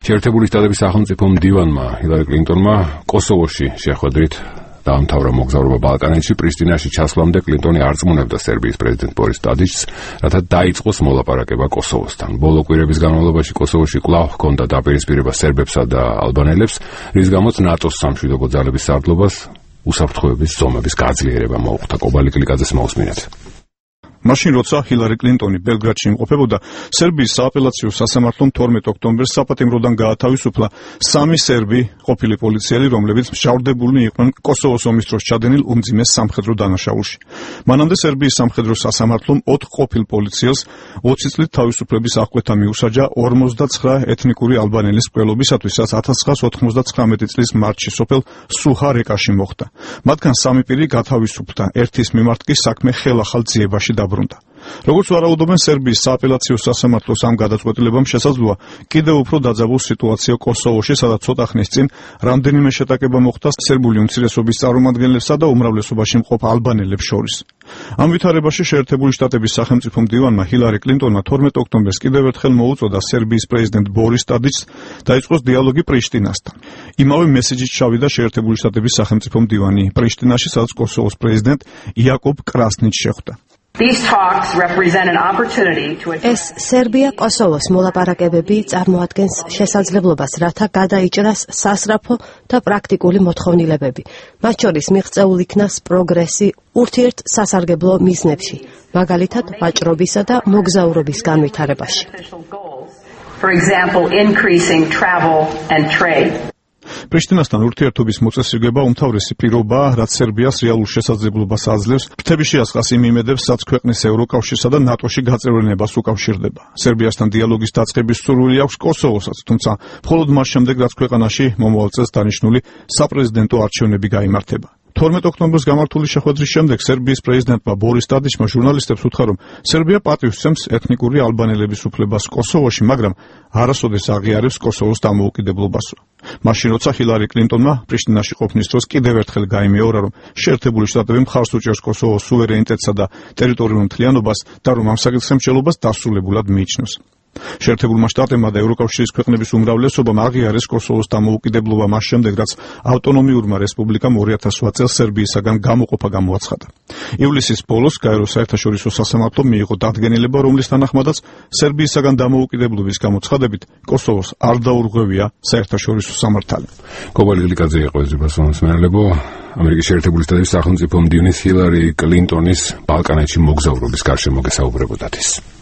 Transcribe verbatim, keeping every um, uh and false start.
შეერთებული შტატების სახელმწიფო მდივანმა ჰილარი კლინტონმა კოსოვოში შეხვედრით დაამთავრა მოგზაურობა ბალკანეთში. პრიშტინაში ჩასვლამდე კლინტონი არ წმუნებდა სერბიის პრეზიდენტ ბორის ტადიჩს, რათა დაიწყოს მოლაპარაკება კოსოვოსთან. ბოლო კვირების განმავლობაში კოსოვოში კვლავ ჰქონდა დაპირისპირება სერბებსა და ალბანელებს, რის გამოც ნატოს სამშვიდობო ძალების სარდლობას უსაფრთხოების ზომების გაძლიერება მოუხდა. კობალი კლიკაძეს მოусმინეთ. მაშინ როცა ჰილარი კლინტონი ბელგრადში იმყოფებოდა, სერბიის სააპელაციო სასამართლომ თორმეტ ოქტომბერს საპატიმროდან გაათავისუფლა სამი სერბი ყოფილი პოლიციელი, რომლებიც მჟავრდებულნი იყვნენ კოსოვოს ომის დროს ჩადენილ უმძიმეს სამხედრო დანაშაულში. მანამდე სერბიის სამხედრო სასამართლომ ოთხ ყოფილ პოლიციელს ოცი წლით თავისუფლების აღკვეთა მიუსაჯა ორმოცდაცხრა ეთნიკური ალბანელის მკვლელობისათვის, რაც ათას ცხრაას ოთხმოცდათხრამეტი წლის მარტში სოფელ სუჰა-რეკაში მოხდა. მათგან სამი პირი გათავისუფლდა, ერთის მიმართ კი საქმე ხელახალ ძიებაში დაბრუნდა. როგორც ვარაუდობენ, სერბიის სააპელაციო სასამართლოს ამ გადაწყვეტილებამ შესაძლოა კიდევ უფრო დაძაბულ სიტუაცია კოსოვოში, სადაც ცოტა ხნის წინ რამდენიმე შეტაკება მოხდა სერბული უმცირესობის წარმომადგენლებსა და უმრავლესობაში მყოფ ალბანელებს შორის. ამ ვითარებაში შეერთებული შტატების სახელმწიფო მდივანმა ჰილარი კლინტონმა თორმეტ ოქტომბერს კიდევ ერთხელ მოუწოდა სერბიის პრეზიდენტ ბორის ტადიჩს დაიწყოს დიალოგი პრიშტინასთან. იმავე მესეჯით ჩავიდა შეერთებული შტატების სახელმწიფო მდივანი პრიშტინაში, სადაც კოსოვოს პრეზიდენტ იაკობ კრასნიჩს შეხვდა. ეს სერბია-კოსოვოს მოლაპარაკებები წარმოადგენს შესაძლებლობას, რათა გადაიჭრას სასწრაფო და პრაქტიკული მოთხოვნილებები. მათ შორის მიღწეულ იქნას პროგრესი ურთიერთ სასარგებლო მიზნებში, მაგალითად ვაჭრობისა და მოგზაურობის განვითარებაში. პრიშტინასთან ურთიერთობის მოწესრიგება უმთავრესი პირობაა, რაც სერბიას რეალურ შესაძლებლობას აძლევს ფრთების შეასყას იმ იმედებს, რაც ქვეყნის ევროკავშირსა და ნატოში გაწევრიანებას უკავშირდება. სერბიასთან დიალოგის დაწყების სურვილი აქვს კოსოვოსაც, თუმცა მხოლოდ მას შემდეგ, რაც ქვეყანაში მომავალ წელს დანიშნული საპრეზიდენტო არჩევნები გაიმართება. თორმეტ ოქტომბერს გამართული შეხვედრის შემდეგ სერბიის პრეზიდენტმა ბორის ტადიჩმა ჟურნალისტებს უთხრა, რომ სერბია პატივს სცემს ეთნიკური ალბანელების უფლებას კოსოვოში, მაგრამ არასოდეს აღიარებს კოსოვოს დამოუკიდებლობასო. მაშინ როცა ჰილარი კლინტონმა პრიშტინაში ყოფნის დროს კიდევ ერთხელ გაიმეორა, რომ შეერთებული შტატები მხარს უჭერს კოსოვოს სუვერენიტეტსა და ტერიტორიულ მთლიანობას და რომ ამ საკითხემჭელობას დასრულებულად მიიჩნევს. შეერთებულმა შტატებმა და ევროკავშირის ქვეყნების უმრავლესობამ აღიარეს კოსოვოს დამოუკიდებლობა მას შემდეგ, რაც ავტონომიურმა რესპუბლიკამ ორი ათას ოთხ წელს სერბიისაგან გამოყოფა გამოაცხადა. ივლისის ბოლოს გაეროს საერთაშორისო სასამართლომ მიიღო დადგენილება, რომლის თანახმადაც სერბიისაგან დამოუკიდებლობის გამოცხადებით კოსოვოს არ დაურღვევია საერთაშორისო სამართალი. კობალი კლიკაძე იყო ეს მოსმენელებო. ამერიკის შეერთებული შტატების სახელმწიფო მდივნის ჰილარი კლინტონის ბალკანეთში მოგზაურობის გარშემო გესაუბრებოდათ ის.